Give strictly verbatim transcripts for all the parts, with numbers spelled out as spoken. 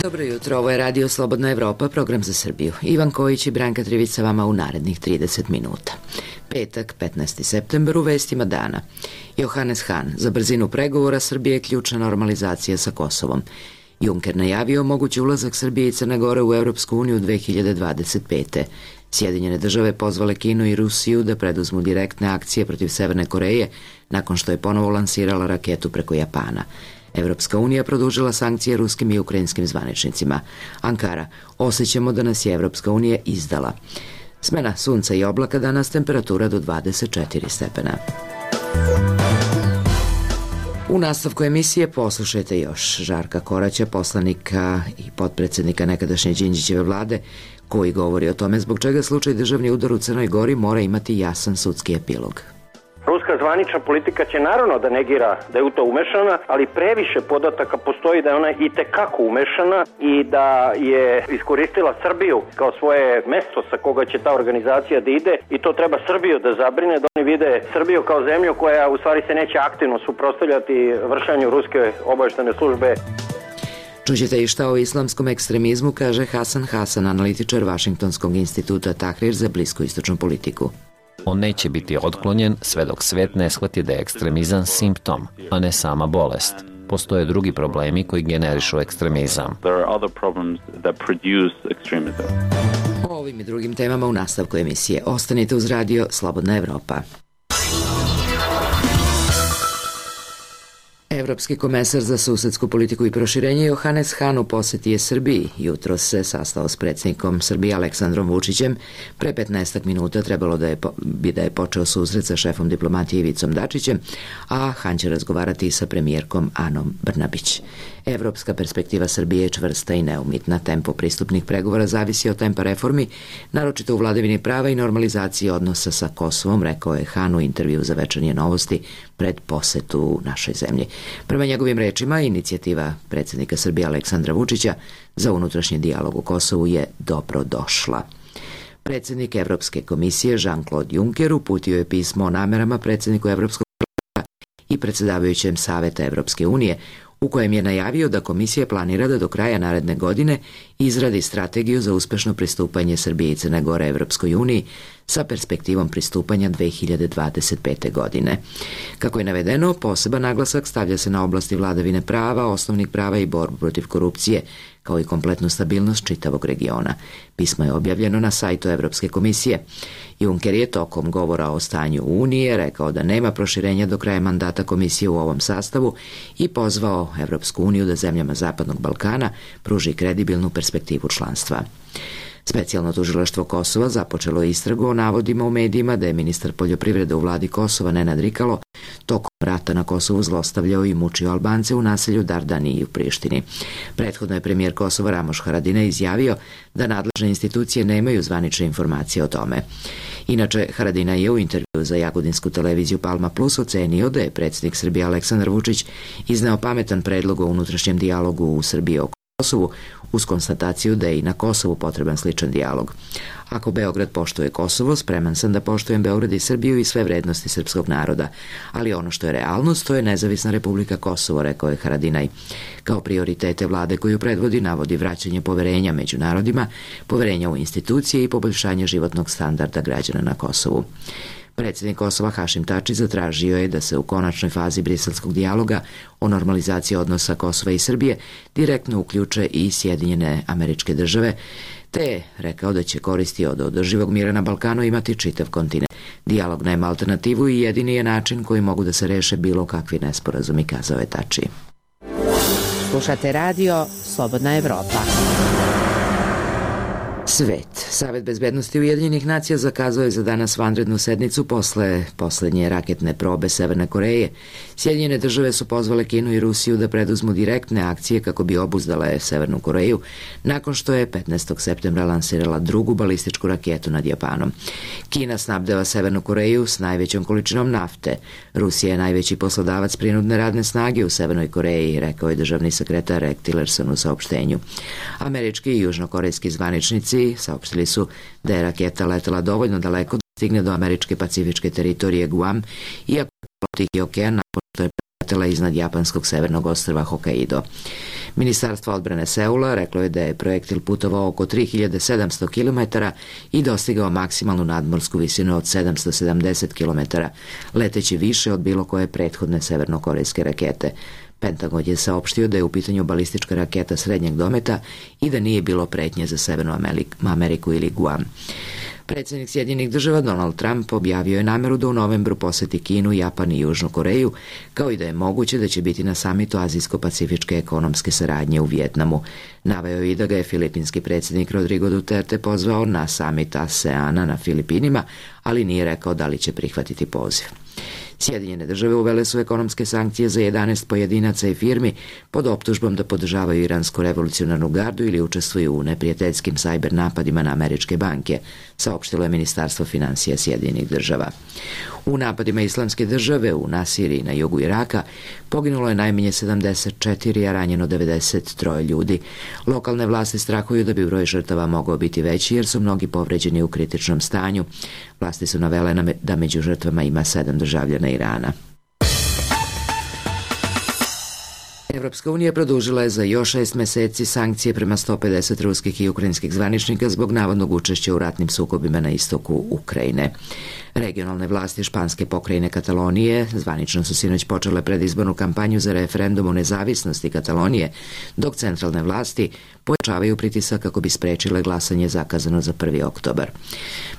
Dobro jutro, ovo je Radio Slobodna Evropa, program za Srbiju. Ivan Kojić i Branka Trivica vama u narednih trideset minuta. Petak, petnaesti septembar, u vestima dana. Johannes Hahn, za brzinu pregovora Srbije je ključna normalizacija sa Kosovom. Juncker najavio mogući ulazak Srbije i Crne Gore u Evropsku uniju dve hiljade dvadeset pete. Sjedinjene države pozvale Kinu i Rusiju da preduzmu direktne akcije protiv Severne Koreje nakon što je ponovo lansirala raketu preko Japana. Evropska unija produžila sankcije ruskim i ukrajinskim zvaničnicima. Ankara, osjećamo da nas je Evropska unija izdala. Smena sunca i oblaka, danas temperatura do dvadeset četiri stepena. U nastavku emisije poslušajte još Žarka Koraća, poslanika i potpredsednika nekadašnje Đinđićeve vlade, koji govori o tome zbog čega slučaj državni udar u Crnoj Gori mora imati jasan sudski epilog. Ruska zvanična politika će naravno da negira da je u to umešana, ali previše podataka postoji da je ona i tekako umešana i da je iskoristila Srbiju kao svoje mesto sa koga će ta organizacija da ide, i to treba Srbiju da zabrine, da oni vide Srbiju kao zemlju koja u stvari se neće aktivno suprotstavljati vršenju ruske obavještajne službe. Čućete i šta o islamskom ekstremizmu kaže Hasan Hasan, analitičar Vašingtonskog instituta Tahrir za bliskoistočnu politiku. On neće biti otklonjen sve dok svet ne shvati da je ekstremizam simptom, a ne sama bolest. Postoje drugi problemi koji generišu ekstremizam. O ovim i drugim temama u nastavku emisije. Ostanite uz Radio Slobodna Evropa. Evropski komesar za susedsku politiku i proširenje Johannes Hahn u poseti je Srbiji. Jutro se sastao s predsjednikom Srbije Aleksandrom Vučićem. Pre petnaestak minuta trebalo da je, po, bi da je počeo susret sa šefom diplomatije Ivicom Dačićem, a Hahn će razgovarati sa premijerkom Anom Brnabić. Evropska perspektiva Srbije je čvrsta i neumitna. Tempo pristupnih pregovora zavisi od tempa reformi, naročito u vladavini prava i normalizaciji odnosa sa Kosovom, rekao je Hahn u intervju za Večernje novosti pred posetu u našoj zemlji. Prema njegovim rečima, inicijativa predsjednika Srbije Aleksandra Vučića za unutrašnji dijalog u Kosovu je dobro došla. Predsjednik Evropske komisije Jean-Claude Juncker uputio je pismo o namerama predsjedniku Evropskog parlamenta i predsjedavajućem Saveta Evropske unije, u kojem je najavio da komisija planira da do kraja naredne godine izradi strategiju za uspešno pristupanje Srbije i Crne Gore Evropskoj uniji sa perspektivom pristupanja dve hiljade dvadeset pete. godine. Kako je navedeno, poseban naglasak stavlja se na oblasti vladavine prava, osnovnih prava i borbu protiv korupcije, kao i kompletnu stabilnost čitavog regiona. Pismo je objavljeno na sajtu Evropske komisije. Juncker je tokom govora o stanju Unije rekao da nema proširenja do kraja mandata komisije u ovom sastavu i pozvao Evropsku uniju da zemljama Zapadnog Balkana pruži kredibilnu perspektivu članstva. Specijalno tužilaštvo Kosova započelo istragu o navodima u medijima da je ministar poljoprivrede u vladi Kosova Nenad Rikalo tokom rata na Kosovu zlostavljao i mučio Albance u naselju Dardani i u Prištini. Prethodno je premijer Kosova Ramoš Haradinaj izjavio da nadležne institucije nemaju zvanične informacije o tome. Inače, Haradinaj je u intervju za jagodinsku televiziju Palma Plus ocenio da je predsjednik Srbije Aleksandar Vučić izneo pametan predlog o unutrašnjem dijalogu u Srbiji oko Kosovu, uz konstataciju da je i na Kosovu potreban sličan dijalog. Ako Beograd poštuje Kosovo, spreman sam da poštujem Beograd i Srbiju i sve vrednosti srpskog naroda. Ali ono što je realnost, to je nezavisna Republika Kosovo, rekao je Haradinaj. Kao prioritete vlade koju predvodi navodi vraćanje poverenja među narodima, poverenja u institucije i poboljšanje životnog standarda građana na Kosovu. Predsjednik Kosova Hašim Tači zatražio je da se u konačnoj fazi briselskog dijaloga o normalizaciji odnosa Kosova i Srbije direktno uključe i Sjedinjene Američke Države, te je rekao da će koristi od održivog mira na Balkanu imati čitav kontinent. Dijalog nema alternativu i jedini je način koji mogu da se reše bilo kakvi nesporazumi, kazao je Tači. Slušate radio Slobodna Evropa. Svet. Savet bezbednosti Ujedinjenih nacija zakazao je za danas vanrednu sednicu posle poslednje raketne probe Severne Koreje. Sjedinjene države su pozvale Kinu i Rusiju da preduzmu direktne akcije kako bi obuzdale Severnu Koreju, nakon što je petnaestog septembra lansirala drugu balističku raketu nad Japanom. Kina snabdeva Severnu Koreju s najvećom količinom nafte. Rusija je najveći poslodavac prinudne radne snage u Severnoj Koreji, rekao je državni sekretar Rex Tillerson u saopštenju. Američki i južnokorejski zvaničnici saopštili su da je raketa letela dovoljno daleko da stigne do američke pacifičke teritorije Guam, iako je Tihi okean nakon što je preletela iznad japanskog severnog ostrva Hokkaido. Ministarstvo odbrane Seula reklo je da je projektil putovao oko tri hiljade sedamsto kilometara i dostigao maksimalnu nadmorsku visinu od sedamsto sedamdeset kilometara, leteći više od bilo koje prethodne severnokorejske rakete. Pentagon je saopštio da je u pitanju balistička raketa srednjeg dometa i da nije bilo pretnje za Severnu Ameriku ili Guam. Predsjednik Sjedinjenih država Donald Trump objavio je nameru da u novembru poseti Kinu, Japan i Južnu Koreju, kao i da je moguće da će biti na samitu Azijsko-pacifičke ekonomske saradnje u Vijetnamu. Naveo i da ga je filipinski predsjednik Rodrigo Duterte pozvao na samit ASEANA na Filipinima, ali nije rekao da li će prihvatiti poziv. Sjedinjene države uvele su ekonomske sankcije za jedanaest pojedinaca i firmi pod optužbom da podržavaju iransku revolucionarnu gardu ili učestvuju u neprijateljskim sajber napadima na američke banke, saopštilo je Ministarstvo finansija Sjedinjenih država. U napadima Islamske države u Nasiriji na jugu Iraka poginulo je najmanje sedamdeset četiri, a ranjeno devedeset tri ljudi. Lokalne vlasti strahuju da bi broj žrtava mogao biti veći jer su mnogi povređeni u kritičnom stanju. Vlasti su navele da među žrtvama ima sedam državljana Irana. Evropska unija produžila je za još šest meseci sankcije prema sto pedeset ruskih i ukrajinskih zvaničnika zbog navodnog učešća u ratnim sukobima na istoku Ukrajine. Regionalne vlasti španske pokrajine Katalonije zvanično su sinoć počele predizbornu kampanju za referendum o nezavisnosti Katalonije, dok centralne vlasti pojačavaju pritisak kako bi sprečile glasanje zakazano za prvi oktobar.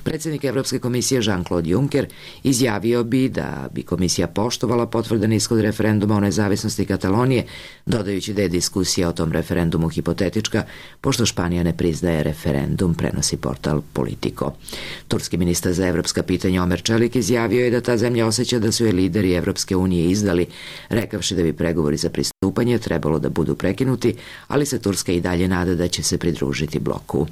Predsjednik Evropske komisije Jean-Claude Juncker izjavio bi da bi komisija poštovala potvrdan ishod referenduma o nezavisnosti Katalonije, dodajući da je diskusija o tom referendumu hipotetička, pošto Španija ne priznaje referendum, prenosi portal Politico. Turski ministar za evropska pitanja Omer Čelik izjavio je da ta zemlja osjeća da su je lideri Evropske unije izdali, rekavši da bi pregovori za pristupanje trebalo da budu prekinuti, ali se Turska i dalje nada da će se pridružiti bloku.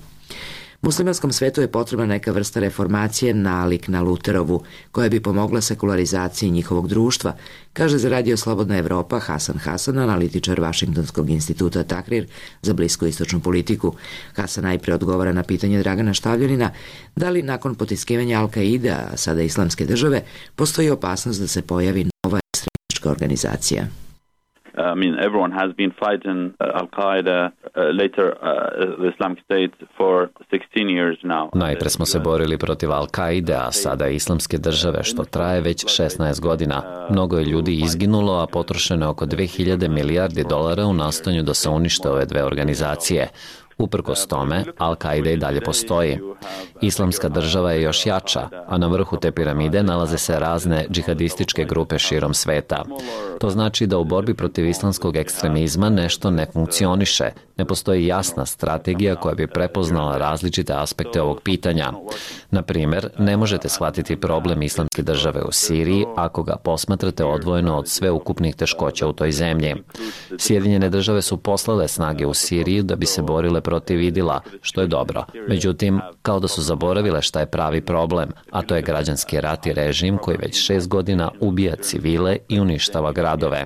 Muslimanskom svetu je potrebna neka vrsta reformacije nalik na Luterovu, koja bi pomogla sekularizaciji njihovog društva, kaže za Radio Slobodna Evropa Hasan Hasan, analitičar Vašingtonskog instituta Tahrir za bliskoistočnu politiku. Hasan najpre odgovara na pitanje Dragana Štavljanina da li nakon potiskivanja Al-Kaide, a sada Islamske države, postoji opasnost da se pojavi nova ekstremistička organizacija. I mean, everyone has been fighting uh, Al-Qaeda, uh, later uh, the Islamic State for sixteen years now. Najpre smo se borili protiv Al-Kaide, a sada Islamske države, što traje već šesnaest godina. Mnogo je ljudi izginulo, a potrošeno je oko dve hiljade milijardi dolara u nastojanju da se unište ove dve organizacije. Uprkos tome, Al-Kaida i dalje postoji. Islamska država je još jača, a na vrhu te piramide nalaze se razne džihadističke grupe širom sveta. To znači da u borbi protiv islamskog ekstremizma nešto ne funkcioniše, ne postoji jasna strategija koja bi prepoznala različite aspekte ovog pitanja. Na primjer, ne možete shvatiti problem Islamske države u Siriji ako ga posmatrate odvojeno od sveukupnih teškoća u toj zemlji. Sjedinjene države su poslale snage u Siriju da bi se borile protiv Idila, što je dobro. Međutim, kao da su zaboravile šta je pravi problem, a to je građanski rat i režim koji već šest godina ubija civile i uništava gradove.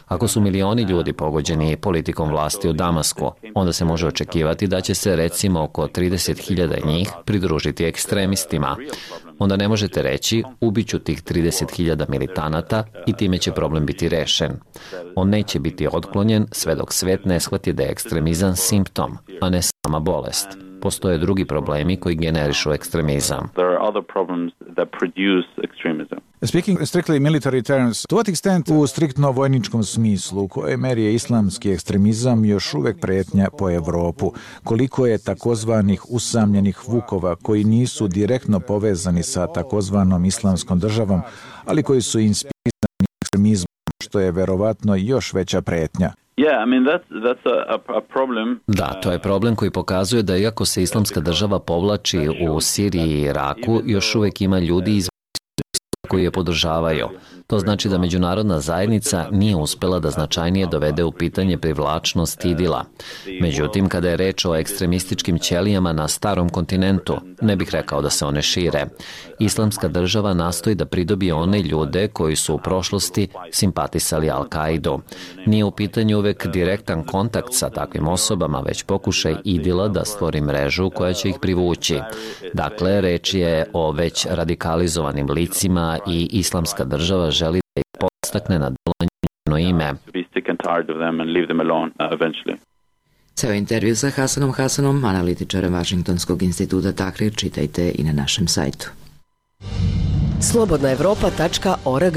Ako su milioni ljudi pogođeni politikom vlasti u Damasku, onda se može očekivati da će se recimo oko trideset hiljada njih pridružiti ekstremistima. Onda ne možete reći ubiću tih trideset hiljada militanata i time će problem biti rešen. On neće biti otklonjen sve dok svet ne shvati da je ekstremizam simptom, a ne sama bolest. Postoje drugi problemi koji generišu ekstremizam. Speaking strictly military terms, to what extent u striktno vojničkom smislu, u kojoj meri je islamski ekstremizam još uvek pretnja po Evropu? Koliko je takozvanih usamljenih vukova koji nisu direktno povezani sa takozvanom islamskom državom, ali koji su inspirisani ekstremizmom, što je verovatno još veća pretnja? Yeah, I mean that's that's a, a problem. Da, to je problem koji pokazuje da iako se Islamska država povlači u Siriji i Iraku, još uvek ima ljudi iz koji je podržavaju. To znači da međunarodna zajednica nije uspela da značajnije dovede u pitanje privlačnost Idila. Međutim, kada je reč o ekstremističkim ćelijama na starom kontinentu, ne bih rekao da se one šire. Islamska država nastoji da pridobije one ljude koji su u prošlosti simpatisali Al-Kaidu. Nije u pitanju uvek direktan kontakt sa takvim osobama, već pokušaj Idila da stvori mrežu koja će ih privući. Dakle, reč je o već radikalizovanim licima i Islamska država želi da ih podstakne na delovanje njeno ime. sick and tired of them and leave them alone uh, eventually. Ceo intervju sa Hasanom Hasanom, analitičarem Vašingtonskog instituta Tahrir, čitajte i na našem sajtu. slobodna evropa tačka org.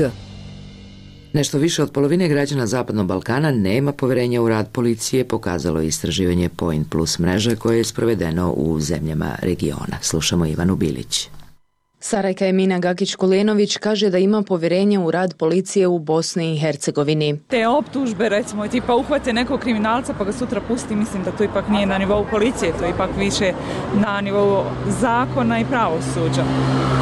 Nešto više od polovine građana Zapadnog Balkana nema poverenja u rad policije, pokazalo je istraživanje Point Plus mreže koje je sprovedeno u zemljama regiona. Slušamo Ivanu Bilić. Sarajka Emina Gakić-Kulenović kaže da ima povjerenje u rad policije u Bosni i Hercegovini. Te optužbe, recimo, tipa uhvate nekog kriminalca pa ga sutra pusti, mislim da to ipak nije na nivou policije, to je ipak više na nivou zakona i pravosuđa.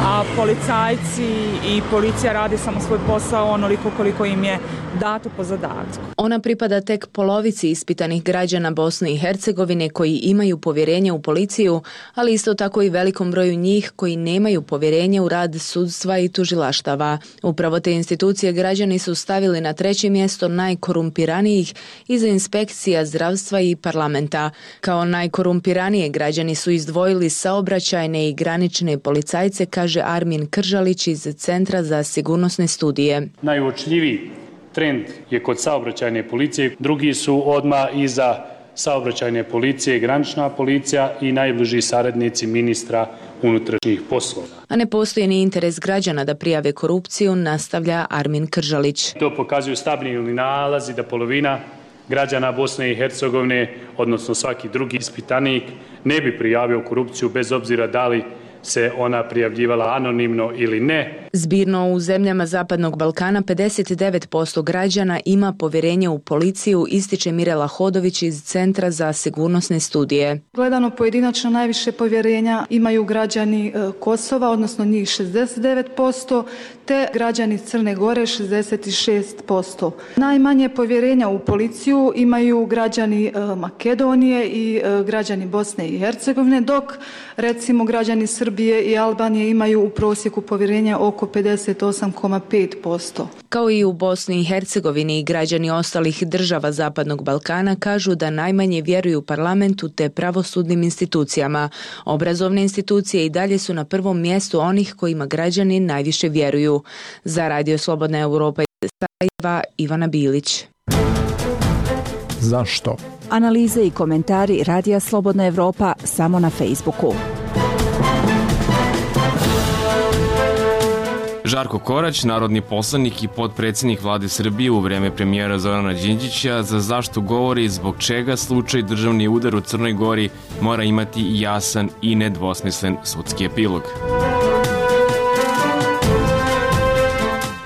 A policajci i policija radi samo svoj posao onoliko koliko im je dato po zadatku. Ona pripada tek polovici ispitanih građana Bosne i Hercegovine koji imaju povjerenje u policiju, ali isto tako i velikom broju njih koji nemaju povjerenje u rad sudstva i tužilaštava. Upravo te institucije građani su stavili na treće mjesto najkorumpiranijih iza inspekcija zdravstva i parlamenta. Kao najkorumpiranije građani su izdvojili saobraćajne i granične policajce, kaže Armin Kržalić iz Centra za sigurnosne studije. Najuočljiviji trend je kod saobraćajne policije, drugi su odmah iza saobraćajne policije, granična policija i najbliži saradnici ministra unutrašnjih poslova. A ne postoji ni interes građana da prijave korupciju, nastavlja Armin Kržalić. To pokazuju stabilni nalazi da polovina građana Bosne i Hercegovine, odnosno svaki drugi ispitanik, ne bi prijavio korupciju bez obzira da li se ona prijavljivala anonimno ili ne. Zbirno u zemljama Zapadnog Balkana pedeset devet posto građana ima povjerenje u policiju, ističe Mirela Hodović iz Centra za sigurnosne studije. Gledano pojedinačno najviše povjerenja imaju građani Kosova, odnosno njih šezdeset devet posto, te građani Crne Gore šezdeset šest posto. Najmanje povjerenja u policiju imaju građani Makedonije i građani Bosne i Hercegovine, dok recimo građani Srbije i Albanije imaju u prosjeku povjerenja oko pedeset osam zarez pet posto. Kao i u Bosni i Hercegovini, građani ostalih država Zapadnog Balkana kažu da najmanje vjeruju parlamentu te pravosudnim institucijama. Obrazovne institucije i dalje su na prvom mjestu onih kojima građani najviše vjeruju. Za Radio Slobodna Evropa iz Sarajeva, Ivana Bilić. Zašto? Analize i komentari Radija Slobodna Evropa samo na Facebooku. Žarko Korać, narodni poslanik i potpredsjednik vlade Srbije u vreme premijera Zorana Đinđića, za zašto govori zbog čega slučaj državni udar u Crnoj Gori mora imati jasan i nedvosmislen sudski epilog.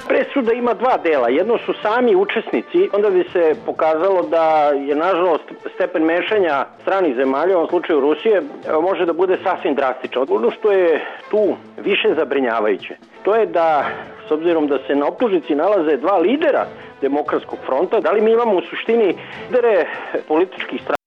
Presuda ima dva dela. Jedno su sami učesnici, onda bi se pokazalo da je nažalost stepen mešanja stranih zemalja, u ovom slučaju Rusije, može da bude sasvim drastičan. Ono što je tu više zabrinjavajuće, to je da, s obzirom da se na optužnici nalaze dva lidera Demokratskog fronta, da li mi imamo u suštini lidere političkih strana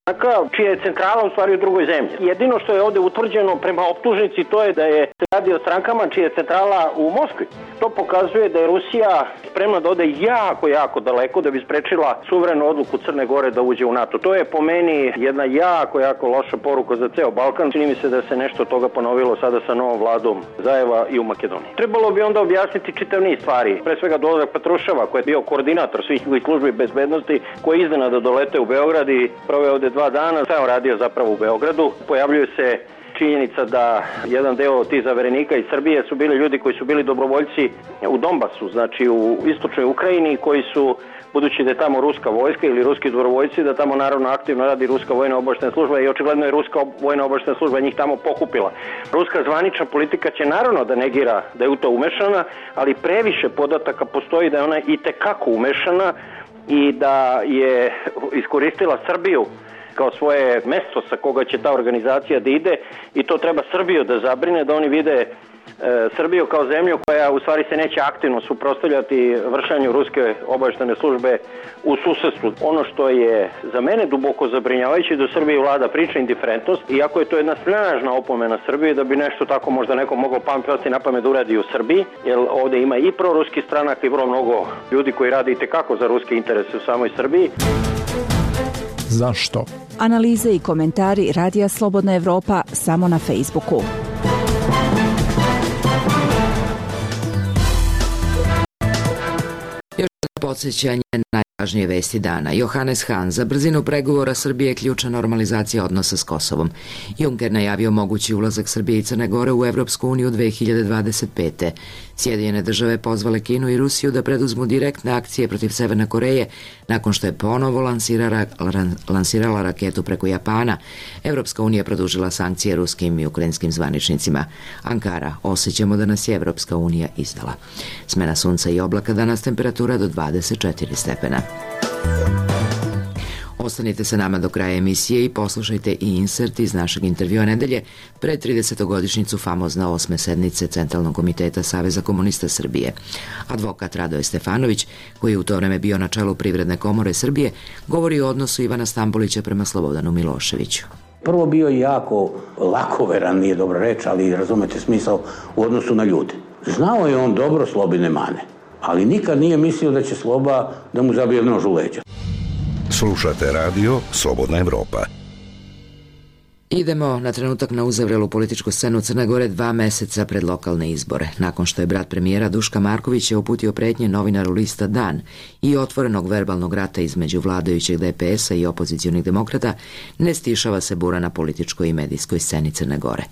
čija je centrala u stvari u drugoj zemlji. Jedino što je ovdje utvrđeno prema optužnici to je da je se radi o strankama čija je centrala u Moskvi. To pokazuje da je Rusija spremna da ode jako, jako daleko da bi sprečila suverenu odluku Crne Gore da uđe u NATO. To je po meni jedna jako, jako loša poruka za ceo Balkan. Čini mi se da se nešto toga ponovilo sada sa novom vladom Zajeva i u Makedoniji. Trebalo bi onda objasniti čitav niz stvari. Pre svega dolazak Petruševa koji je bio koordinator svih službi bezbednosti koji je iznenada dolete u Beograd i proveo ovde dva dana. Šta je on radio zapravo u Beogradu? Pojavljuje se činjenica da jedan deo tih zaverenika iz Srbije su bili ljudi koji su bili dobrovoljci u Donbasu, znači u istočnoj Ukrajini, koji su, budući da je tamo ruska vojska ili ruski dobrovoljci, da tamo naravno aktivno radi ruska vojna obaveštajna služba i očigledno je ruska vojna obaveštajna služba njih tamo pokupila. Ruska zvanična politika će naravno da negira da je u to umešana, ali previše podataka postoji da je ona i tekako umešana i da je iskoristila Srbiju kao svoje mesto sa koga će ta organizacija da ide i to treba Srbiju da zabrine, da oni vide e, Srbiju kao zemlju koja u stvari se neće aktivno suprotstavljati vršenju ruske obaveštajne službe u susedstvu. Ono što je za mene duboko zabrinjavajuće da u Srbiji vlada priča indiferentnost, iako je to jedna snažna opomena Srbije da bi nešto tako možda neko moglo pasti na pamet da uradi u Srbiji, jer ovdje ima i proruski stranak i vrlo mnogo ljudi koji rade i tekako za ruske interese u samoj Srbiji. Zašto? Analize i komentari Radija Slobodna Evropa samo na Facebooku. Još jedno podsjećanje, najbolji Važnije vesti dana. Johannes Hahn: za brzinu pregovora Srbije je ključna normalizacija odnosa s Kosovom. Juncker najavio mogući ulazak Srbije i Crne Gore u Evropsku uniju dve hiljade dvadeset pete. Sjedinjene države pozvale Kinu i Rusiju da preduzmu direktne akcije protiv Severne Koreje nakon što je ponovo lansirala, lansirala raketu preko Japana. Evropska unija produžila sankcije ruskim i ukrajinskim zvaničnicima. Ankara: osjećamo da nas je Evropska unija izdala. Smena sunca i oblaka, danas temperatura do dvadeset četiri stepena. Ostanite sa nama do kraja emisije i poslušajte i insert iz našeg intervjua nedelje pred tridesetogodišnjicu famozne osme sednice Centralnog komiteta Saveza komunista Srbije. Advokat Radoje Stefanović, koji je u to vreme bio na čelu Privredne komore Srbije, govori o odnosu Ivana Stambolića prema Slobodanu Miloševiću. Prvo bio jako lakoveran, nije dobra reč, ali razumete smisao u odnosu na ljude. Znao je on dobro Slobine mane, ali nikad nije mislio da će Sloba da mu zabije nož u leđa. Slušate radio Slobodna Evropa. Idemo na trenutak na uzavrelu političku scenu Crne Gore dva meseca pred lokalne izbore. Nakon što je brat premijera Duška Markovića uputio pretnje novinaru lista Dan i otvorenog verbalnog rata između vladajućeg D P S-a i opozicionih demokrata, ne stišava se bura na političkoj i medijskoj sceni Crne Gore.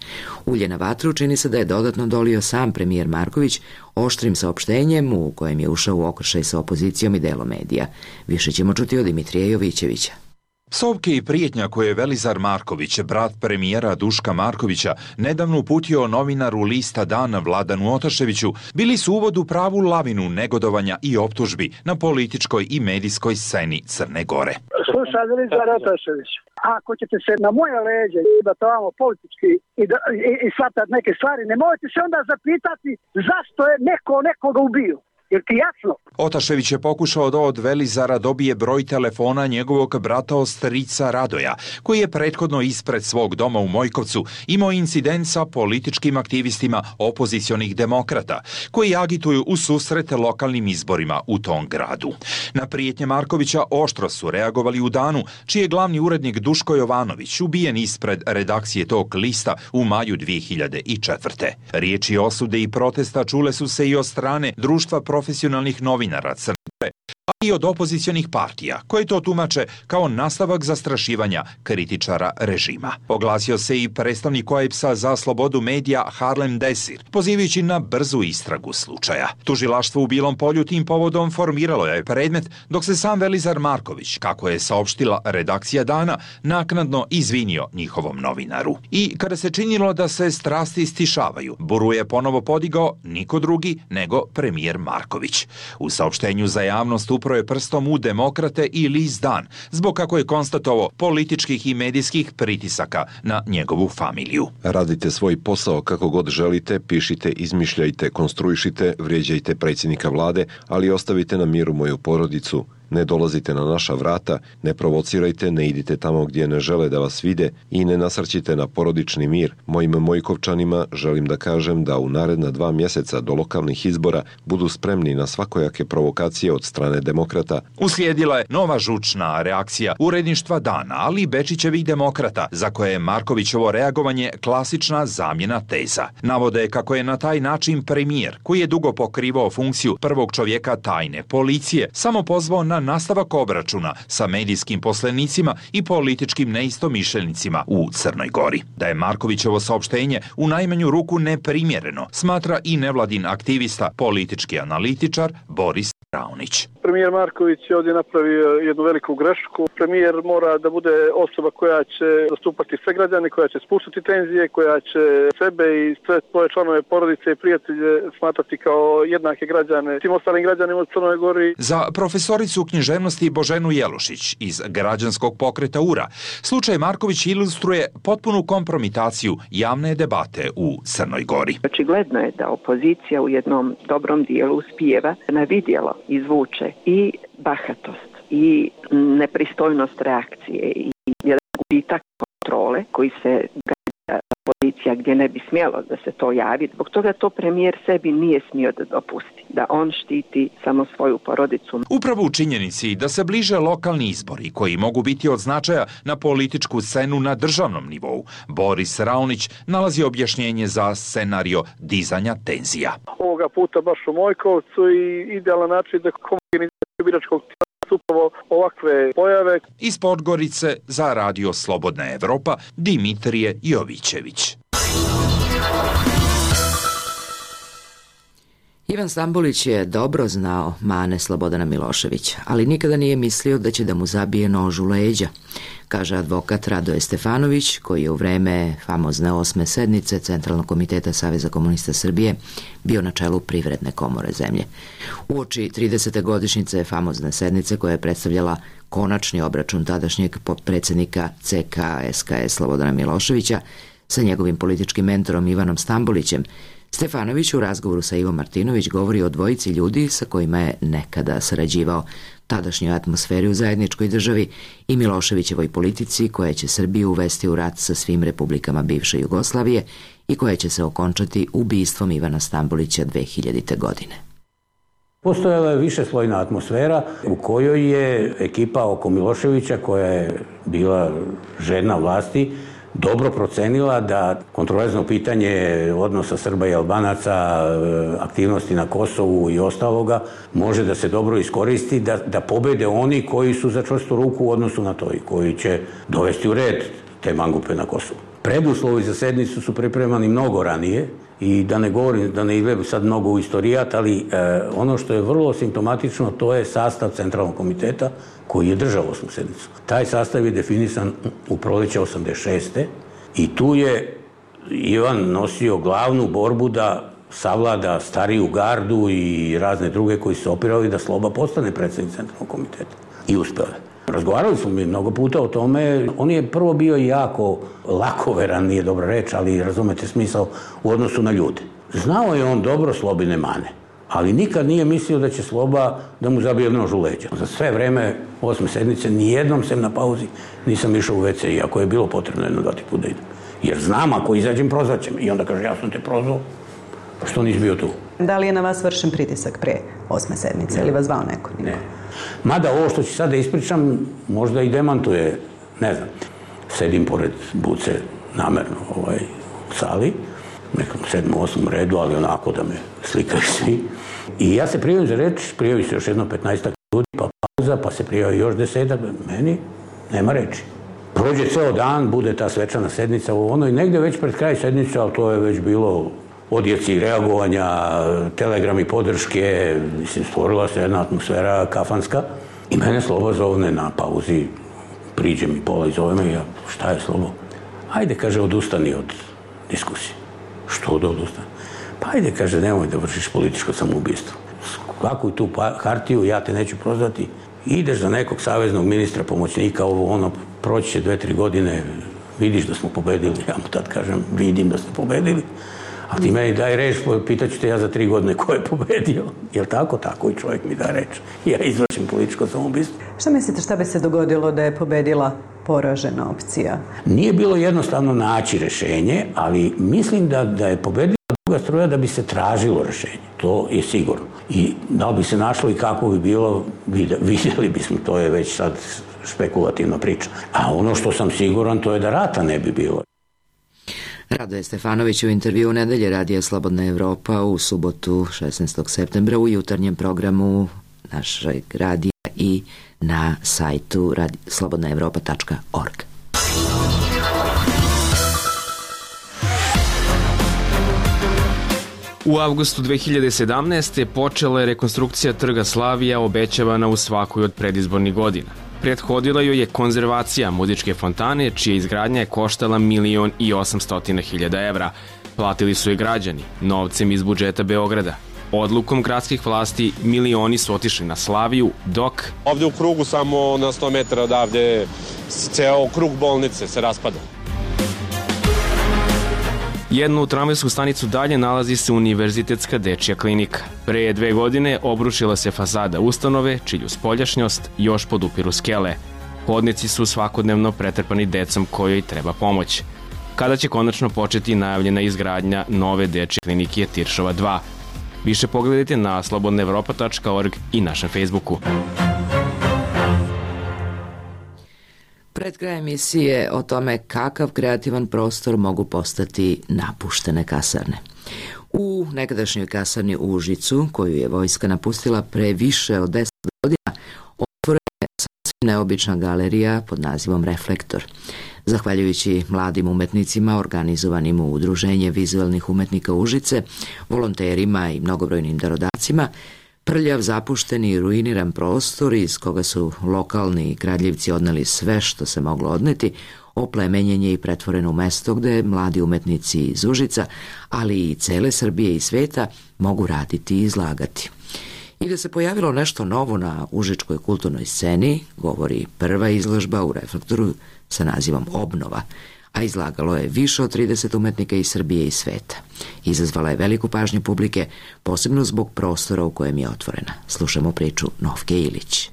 Ulje na vatru čini se da je dodatno dolio sam premijer Marković oštrim saopštenjem u kojem je ušao u okršaj sa opozicijom i delom medija. Više ćemo čuti od Dimitrija Jovićevića. Psovke i prijetnja koje je Velizar Marković, brat premijera Duška Markovića, nedavno uputio novinaru lista Dan Vladanu Otaševiću, bili su uvod u pravu lavinu negodovanja i optužbi na političkoj i medijskoj sceni Crne Gore. Slušaj, Velizar Otašević, ako ćete se na moje leđe da tamo politički i, da, i, i shvatati neke stvari, ne možete se onda zapitati zašto je neko nekoga ubio. Jer ti jasno? Otašević je pokušao da od Velizara dobije broj telefona njegovog brata ostrica Radoja, koji je prethodno ispred svog doma u Mojkovcu imao incident sa političkim aktivistima opozicionih demokrata, koji agituju u susret lokalnim izborima u tom gradu. Na prijetnje Markovića oštro su reagovali u Danu, čiji je glavni urednik Duško Jovanović ubijen ispred redakcije tog lista u maju dvije hiljade četvrte. Riječi osude i protesta čule su se i od strane društva profesionalnih novinara Crne Gore, a i od opozicionih partija, koje to tumače kao nastavak zastrašivanja kritičara režima. Oglasio se i predstavnik O E B S-a za slobodu medija Harlem Desir, pozivajući na brzu istragu slučaja. Tužilaštvo u Bilom Polju tim povodom formiralo je predmet, dok se sam Velizar Marković, kako je saopštila redakcija Dana, naknadno izvinio njihovom novinaru. I kada se činilo da se strasti stišavaju, buru je ponovo podigao niko drugi nego premijer Marković. U saopštenju za javnost upro je prstom u demokrate i list Dan, zbog, kako je konstatovao, političkih i medijskih pritisaka na njegovu familiju. Radite svoj posao kako god želite, pišite, izmišljajte, konstruišite, vrijeđajte predsjednika vlade, ali ostavite na miru moju porodicu. Ne dolazite na naša vrata, ne provocirajte, ne idite tamo gdje ne žele da vas vide i ne nasrćite na porodični mir. Mojim Mojkovčanima želim da kažem da u naredna dva mjeseca do lokalnih izbora budu spremni na svakojake provokacije od strane demokrata. Uslijedila je nova žučna reakcija uredništva Dana, ali i Bečićevih demokrata, za koje je Markovićevo reagovanje klasična zamjena teza. Navode kako je na taj način premijer, koji je dugo pokrivao funkciju prvog čovjeka tajne policije, samo pozvao na nastavak obračuna sa medijskim poslenicima i političkim neistomišljenicima u Crnoj Gori. Da je Markovićevo saopštenje u najmanju ruku neprimjereno, smatra i nevladin aktivista, politički analitičar Boris Raunić. Premijer Marković je ovdje napravio jednu veliku grešku. Premijer mora da bude osoba koja će zastupati sve građane, koja će spustiti tenzije, koja će sebe i sve svoje članove porodice i prijatelje smatrati kao jednake građane tim ostalim građanima u Crnoj Gori. Za profesoricu književnosti Boženu Jelušić iz građanskog pokreta U R A, slučaj Marković ilustruje potpunu kompromitaciju javne debate u Crnoj Gori. Očigledno je da opozicija u jednom dobrom dijelu uspijeva na vidjelo izvuče i bahatost i nepristojnost reakcije i jedan gubitak kontrole koji se pozicija gdje ne bi smjelo da se to javi. Zbog toga to premijer sebi nije smio da dopusti, da on štiti samo svoju porodicu. Upravo u činjenici da se bliže lokalni izbori koji mogu biti od značaja na političku scenu na državnom nivou, Boris Raunić nalazi objašnjenje za scenario dizanja tenzija. Ovoga puta baš u Mojkovcu i idealan način da komunikacija biračkog tijela su upravo ovakve pojave. Iz Podgorice za Radio Slobodna Evropa Dimitrije Jovićević. Ivan Stambolić je dobro znao mane Slobodana Miloševića, ali nikada nije mislio da će da mu zabije nož u leđa, kaže advokat Radoje Stefanović, koji je u vreme famozne osme sednice Centralnog komiteta Saveza komunista Srbije bio na čelu Privredne komore zemlje. Uoči tridesete godišnjice famozne sednice, koja je predstavljala konačni obračun tadašnjeg predsjednika C K S K S Slobodana Miloševića sa njegovim političkim mentorom Ivanom Stambolićem, Stefanović u razgovoru sa Ivom Martinović govori o dvojici ljudi sa kojima je nekada sarađivao, tadašnjoj atmosferi u zajedničkoj državi i Miloševićevoj politici koja će Srbiju uvesti u rat sa svim republikama bivše Jugoslavije i koja će se okončati ubistvom Ivana Stambolića dve hiljadite. godine. Postojala je višeslojna atmosfera u kojoj je ekipa oko Miloševića, koja je bila žedna vlasti, dobro procenila da kontroverzno pitanje odnosa Srba i Albanaca, aktivnosti na Kosovu i ostaloga može da se dobro iskoristi, da, da pobede oni koji su za čvrstu ruku u odnosu na to i koji će dovesti u red te mangupe na Kosovu. Preduslovi za sednicu su pripremani mnogo ranije i da ne govorim, da ne idem sad mnogo u istorijat, ali e, ono što je vrlo simptomatično, to je sastav Centralnog komiteta koji je držao osmu sednicu. Taj sastav je definisan u proleće osamdeset šeste. i tu je Ivan nosio glavnu borbu da savlada stariju gardu i razne druge koji su opirali da Sloba postane predsjednik Centralnog komiteta. I uspeo je. Razgovarali smo mi mnogo puta o tome. On je prvo bio jako lakoveran, nije dobra reč, ali razumete smisao u odnosu na ljude. Znao je on dobro Slobine mane, ali nikad nije mislio da će Sloba da mu zabije nož u leđa. Za sve vreme osme sednice nijednom sem na pauzi nisam išao u ve ce, iako je bilo potrebno jedno dva ti put da idem. Jer znam, ako izađem, prozvaće me. I onda kaže, ja sam te prozvao, što nisi bio tu. Da li je na vas vršen pritisak pre osme sednice, ne. Ili vas zvao neko? Ne. Mada ovo što ću sad da ispričam, možda i demantuje, ne znam. Sedim pored Buce namerno ovaj, u sali, nekom sedmom, osmom redu, ali onako da me slikaju svi. I ja se prijavim za reč, prijavi se još jedno petnaestak ljudi, pa pauza, pa se prijavi još desetak, meni nema reči. Prođe ceo dan, bude ta svečana sednica u ono i negde već pred kraj sednice, ali to je već bilo odjeci reagovanja, telegrami podrške, mislim, stvorila se jedna atmosfera kafanska i mene Sloba zovne na pauzi, priđe mi pola i zove me i ja, šta je Slobo? Ajde, kaže, odustani od diskusije. Što da odustani? Pa ajde, kaže, nemoj da vršiš političko samoubistvo. Skakuj tu hartiju, ja te neću prozvati. Ideš za nekog saveznog ministra, pomoćnika, ovo ono, proći će dve, tri godine, vidiš da smo pobedili. Ja mu tad kažem, vidim da ste pobedili. A ti meni daj reč, pitaću te ja za tri godine ko je pobedio. Jel tako? Tako i čovjek mi da reč. Ja izvršim političko samoubistvo. Šta mislite, šta bi se dogodilo da je pobedila poražena opcija? Nije bilo jednostavno naći rešenje, ali mislim da, da je pobedila druga struja da bi se tražilo rešenje. To je sigurno. I da li bi se našlo i kako bi bilo, vidjeli bismo, to je već sad špekulativna priča. A ono što sam siguran, to je da rata ne bi bilo. Radoje Stefanović u intervju Nedelje Radija Slobodna Evropa u subotu šesnaestog septembra u jutarnjem programu našeg radija i na sajtu slobodna evropa tačka org. U avgustu dve hiljade sedamnaeste. počela je rekonstrukcija Trga Slavija, obećavana u svakoj od predizbornih godina. Prethodila joj je konzervacija muzičke fontane, čija izgradnja je koštala milion i osamstotina hiljada evra. Platili su je građani, novcem iz budžeta Beograda. Odlukom gradskih vlasti milioni su otišli na Slaviju, dok... Ovde u krugu, samo na sto metara odavde, ceo krug bolnice se raspada. Jednu tramvajsku stanicu dalje nalazi se Univerzitetska dečja klinika. Pre dve godine obrušila se fasada ustanove, čiju spoljašnjost još podupiru skele. Hodnici su svakodnevno pretrpani decom kojoj treba pomoć. Kada će konačno početi najavljena izgradnja nove dečje klinike Tiršova dva? Više pogledajte na slobodna evropa tačka org i našem Facebooku. Pred kraj emisije o tome kakav kreativan prostor mogu postati napuštene kasarne. U nekadašnjoj kasarni u Užicu, koju je vojska napustila pre više od deset godina, otvoren neobična galerija pod nazivom Reflektor. Zahvaljujući mladim umetnicima organizovanim u Udruženje vizualnih umetnika Užice, volonterima i mnogobrojnim darodavcima, prljav, zapušteni i ruiniran prostor iz koga su lokalni kradljivci odneli sve što se moglo odneti, oplemenjen je i pretvoren u mesto gde mladi umetnici iz Užica, ali i cele Srbije i sveta mogu raditi i izlagati. I da se pojavilo nešto novo na užičkoj kulturnoj sceni, govori prva izložba u Reflektoru sa nazivom Obnova, a izlagalo je više od trideset umetnika iz Srbije i sveta. Izazvala je veliku pažnju publike, posebno zbog prostora u kojem je otvorena. Slušamo priču Novke Ilić.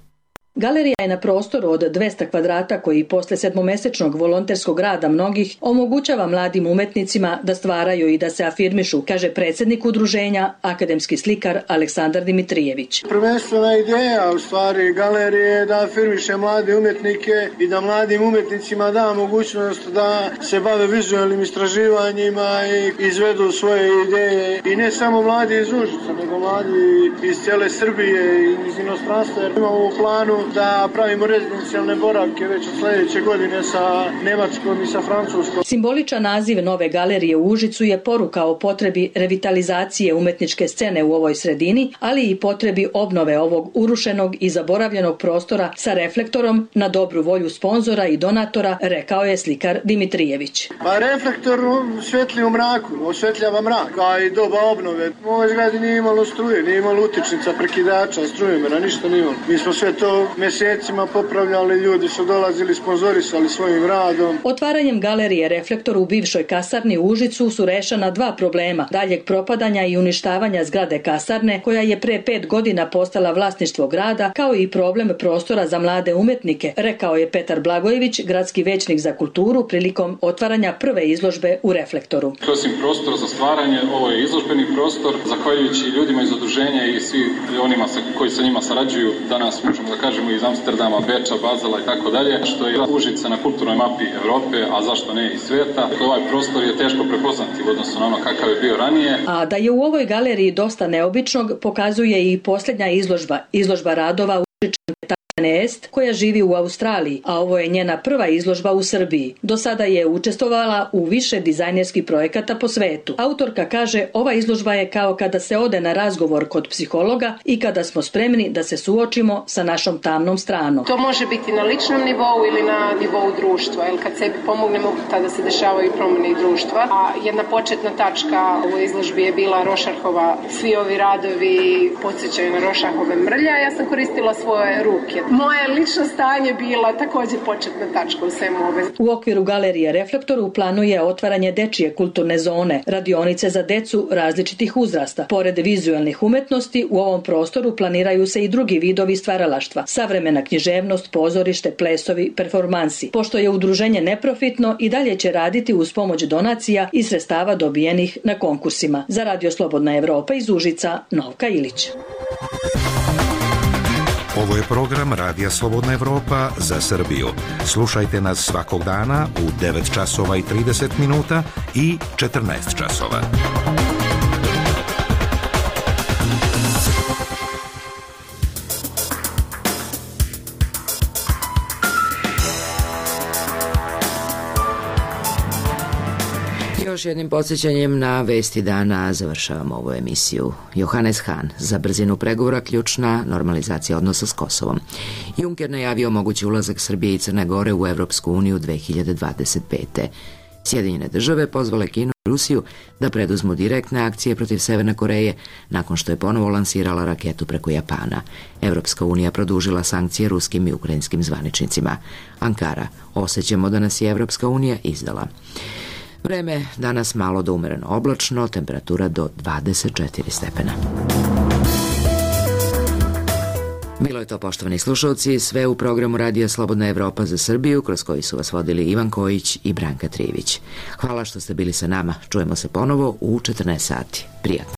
Galerija je na prostoru od dvesta kvadrata koji posle sedmomesečnog volonterskog rada mnogih omogućava mladim umetnicima da stvaraju i da se afirmišu, kaže predsjednik udruženja, akademski slikar Aleksandar Dimitrijević. Prvenstvena ideja u stvari galerije je da afirmiše mlade umetnike i da mladim umetnicima da mogućnost da se bave vizualnim istraživanjima i izvedu svoje ideje. I ne samo mladi iz Užica, nego mladi iz cijele Srbije i iz inostranstva, jer imamo u planu da pravimo rezidencijalne boravke već od sljedeće godine sa Nemačkom i sa Francuskom. Simboličan naziv nove galerije u Užicu je poruka o potrebi revitalizacije umetničke scene u ovoj sredini, ali i potrebi obnove ovog urušenog i zaboravljenog prostora sa reflektorom na dobru volju sponzora i donatora, rekao je slikar Dimitrijević. Pa reflektor svetli u mraku, osvetljava mrak, a i doba obnove. U ovoj zgradi nije imalo struje, nije imalo utičnica, prekidača, strujomera, ništa nije imalo. Mi smo sve to mjesecima popravljali, ljudi su dolazili, sponzorisali svojim radom. Otvaranjem galerije Reflektor u bivšoj kasarni u Užicu su rešena dva problema: daljeg propadanja i uništavanja zgrade kasarne, koja je pre pet godina postala vlasništvo grada, kao i problem prostora za mlade umetnike, rekao je Petar Blagojević, gradski većnik za kulturu, prilikom otvaranja prve izložbe u Reflektoru. Osim prostora za stvaranje, ovo je izložbeni prostor. Zahvaljujući ljudima iz udruženja i svi onima koji sa njima sarađuju, danas možemo da kažemo iz Amsterdama, Beča, Bazela i tako dalje, što je Užice na kulturnoj mapi Evrope, a zašto ne i sveta. Ovaj prostor je teško prepoznati u odnosu na ono kakav je bio ranije. A da je u ovoj galeriji dosta neobičnog pokazuje i posljednja izložba, izložba radova Užičan Est, koja živi u Australiji, a ovo je njena prva izložba u Srbiji. Do sada je učestvovala u više dizajnerskih projekata po svetu. Autorka kaže, ova izložba je kao kada se ode na razgovor kod psihologa i kada smo spremni da se suočimo sa našom tamnom stranom. To može biti na ličnom nivou ili na nivou društva, jer kad sebi pomognemo, tada se dešavaju promjene i društva. A jedna početna tačka u izložbi je bila Rošarhova. Svi ovi radovi podsjećaju na Rošarhove mrlja. Ja sam koristila svoje ruke. Moje lično stanje bila također početna tačka u svemu ove. U okviru galerije Reflektor u planu je otvaranje dečije kulturne zone, radionice za decu različitih uzrasta. Pored vizualnih umetnosti, u ovom prostoru planiraju se i drugi vidovi stvaralaštva: savremena književnost, pozorište, plesovi, performansi. Pošto je udruženje neprofitno, i dalje će raditi uz pomoć donacija i sredstava dobijenih na konkursima. Za Radio Slobodna Evropa iz Užica, Novka Ilić. Ovo je program Radija Slobodna Evropa za Srbiju. Slušajte nas svakog dana u devet časova i trideset minuta i četrnaest časova. Još jednim podsjećanjem na vesti dana završavamo ovu emisiju. Johannes Hahn: za brzinu pregovora ključna normalizacija odnosa s Kosovom. Juncker najavio mogući ulazak Srbije i Crne Gore u Evropsku uniju dve hiljade dvadeset pete. Sjedinjene države pozvale Kinu i Rusiju da preduzmu direktne akcije protiv Severne Koreje nakon što je ponovo lansirala raketu preko Japana. Evropska unija produžila sankcije ruskim i ukrajinskim zvaničnicima. Ankara: osjećamo da nas je Evropska unija izdala. Vreme danas malo do umereno oblačno, temperatura do dvadeset četiri stepena. Bilo je to, poštovani slušalci, sve u programu Radija Slobodna Evropa za Srbiju, kroz koji su vas vodili Ivan Kojić i Branka Trijević. Hvala što ste bili sa nama. Čujemo se ponovo u četrnaest sati. Prijatno.